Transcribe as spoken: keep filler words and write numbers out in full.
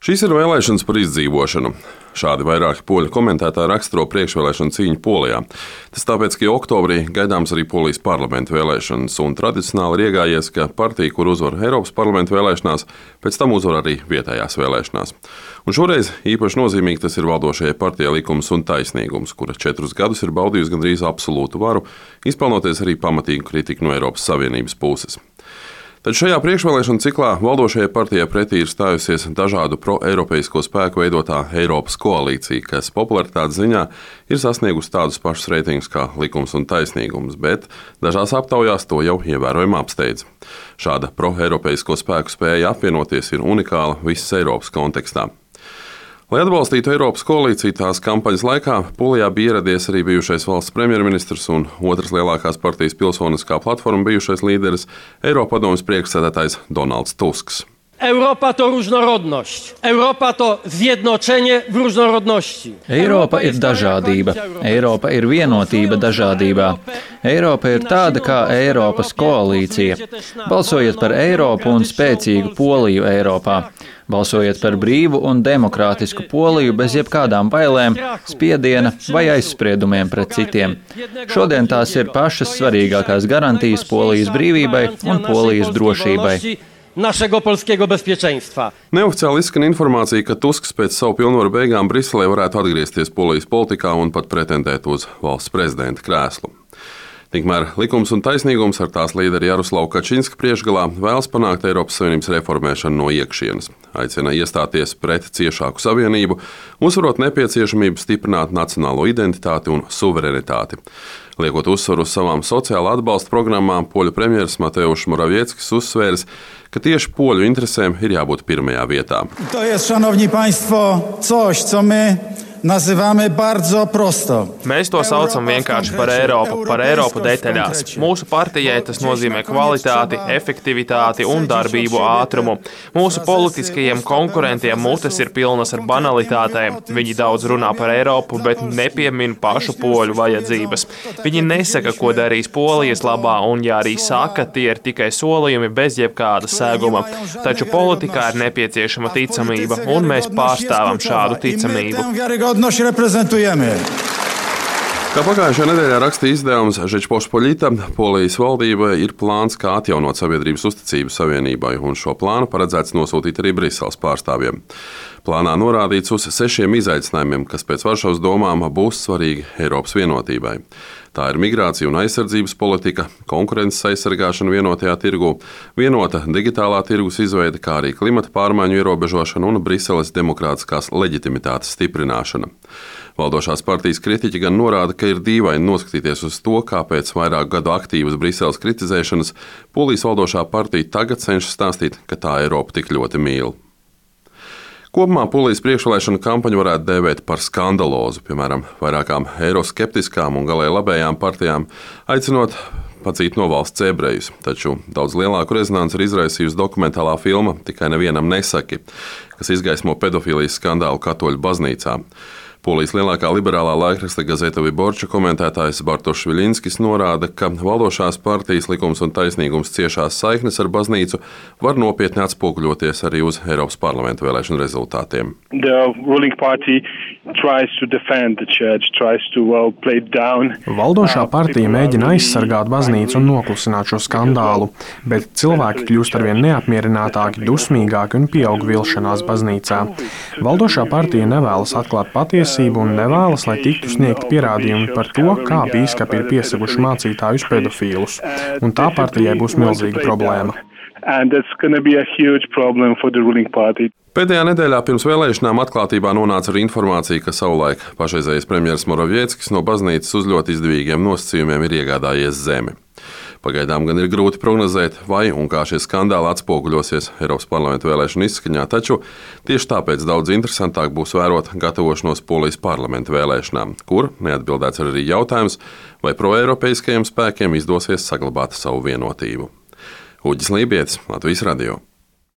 Šīs ir vēlēšanas par izdzīvošanu. Šādi vairāki poļu komentētāji raksturo priekšvēlēšanu cīņu Polijā. Tas tāpēc, ka oktobrī gaidāms arī Polijas parlamenta vēlēšanas, un tradicionāli ir iegājies, ka partija, kur uzvar Eiropas parlamenta vēlēšanās, pēc tam uzvar arī vietējās vēlēšanās. Un šoreiz īpaši nozīmīgi tas ir valdošajai partijai Likums un taisnīgums, kura četrus gadus ir baudījusi gandrīz absolūtu varu, izpelnoties arī pamatīgu kritiku no Eiropas Savienības puses. Tad šajā priekšvēlēšanu ciklā valdošajai partijai pretī ir stājusies dažādu pro-eiropeisko spēku veidotā Eiropas koalīcija, kas popularitātes ziņā ir sasniegusi tādus pašus reitingus kā Likums un taisnīgums, bet dažās aptaujās to jau ievērojami apsteidz. Šāda pro-eiropeisko spēku spēja apvienoties ir unikāla visas Eiropas kontekstā. Lai atbalstītu Eiropas koalīciju tās kampaņas laikā, Polijā bija ieradies arī bijušais valsts premjerministrs un otras lielākās partijas Pilsoniskā platforma bijušais līderis, Eiropadomes priekšsēdētājs Donalds Tusks. Eiropa to różnorodność. Eiropa to zjednoczenie w różnorodności. Eiropa ir dažādība. Eiropa ir vienotība dažādībā. Eiropa ir tāda kā Eiropas koalīcija. Balsojiet par Eiropu un spēcīgu Poliju Eiropā. Balsojiet par brīvu un demokrātisku Poliju bez jebkādām bailēm, spiediena vai aizspriedumiem pret citiem. Šodien tās ir pašas svarīgākās garantijas Polijas brīvībai un Polijas drošībai. Naszego polskiego bezpieczeństwa. Neoficiāli izskan informācija, ka Tusks pēc savu pilnvaru beigām Briselē varētu atgriezties Polijas politikā un pat pretendēt uz valsts prezidenta krēslu. Tikmēr Likums un taisnīgums ar tās līderi Jaroslavu Kačinska priekšgalā vēlas panākt Eiropas Savienības reformēšanu no iekšienes. Aicina iestāties pret ciešāku savienību, uzsverot nepieciešamību stiprināt nacionālo identitāti un suverenitāti. Liekot uzsvaru uz savām sociāla atbalsta programmām, poļu premjeras Mateusz Morawieckis uzsvērs, ka tieši poļu interesēm ir jābūt pirmajā vietā. To jest, szanowni państwo, coś, co my nazywamy bardzo prosto. Mēs to saucam vienkārši par Eiropu, par Eiropu detaļās. Mūsu partijai tas nozīmē kvalitāti, efektivitāti un darbību ātrumu. Mūsu politiskajiem konkurentiem mutes ir pilnas ar banalitātēm. Viņi daudz runā par Eiropu, bet nepiemin pašu poļu vajadzības. Viņi nesaka, ko darīs Polijas labā, un ja arī saka, tie ir tikai solījumi bez jebkāda sēguma. Taču politikā ir nepieciešama ticamība, un mēs pārstāvam šādu ticamību. Kā pagājušajā nedēļā rakstīja izdevums Žečpospoļita, Polijas valdība ir plāns, kā atjaunot sabiedrības uzticību savienībai, un šo plānu paredzēts nosūtīt arī Briseles pārstāvjiem. Plānā norādīts uz sešiem izaicinājumiem, kas pēc Varšavas domām būs svarīgi Eiropas vienotībai. Tā ir migrācija un aizsardzības politika, konkurences aizsargāšana vienotajā tirgū, vienota digitālā tirgus izveide, kā arī klimata pārmaiņu ierobežošana un Briseles demokrātiskās leģitimitātes stiprināšana. Valdošās partijas kritiķi gan norāda, ka ir dīvaini noskatīties uz to, kā pēc vairāku gadu aktīvas Briseles kritizēšanas Polijas valdošā partija tagad cenšas stāstīt, ka tā Eiropu tik ļoti mīl. Kopumā Polijas priekšvēlēšanu kampaņu varētu dēvēt par skandalozu, piemēram, vairākām eiroskeptiskām un galēji labējām partijām, aicinot padzīt no valsts ebrejus. Taču daudz lielāku rezonanci ir izraisījusi dokumentālā filma Tikai nevienam nesaki, kas izgaismo pedofīlijas skandālu katoļu baznīcā. Polijas lielākā liberālā laikraksta Gazeta Wyborcza komentētājs Bartoš Viļinskis norāda, ka valdošās partijas Likums un taisnīgums ciešās saiknes ar baznīcu var nopietni atspoguļoties arī uz Eiropas parlamenta vēlēšanu rezultātiem. Valdošā partija mēģina aizsargāt baznīcu un noklusināt šo skandālu, bet cilvēki kļūst arvien neapmierinātāki, dusmīgāki un pieaug vilšanās baznīcā. Valdošā partija nevēlas atklāt patiesību un nevēlas, lai tiktu sniegti pierādījumi par to, kā bīskapi ir piesaguši mācītājus pedofīlus. Un tā partijai būs milzīga problēma. Pēdējā nedēļā pirms vēlēšanām atklātībā nonāca arī informācija, ka savulaik pašreizējais premjeras Morawieckis no baznīcas uz ļoti izdevīgiem nosacījumiem ir iegādājies zemi. Pagaidām gan ir grūti prognozēt, vai un kā šie skandāli atspoguļosies Eiropas parlamenta vēlēšanu izskaņā, taču tieši tāpēc daudz interesantāk būs vērot gatavošanos Polijas parlamenta vēlēšanām, kur neatbildēts arī jautājums, vai proeiropeiskajiem spēkiem izdosies saglabāt savu vienotību. Uģis Lībietis, Latvijas radio.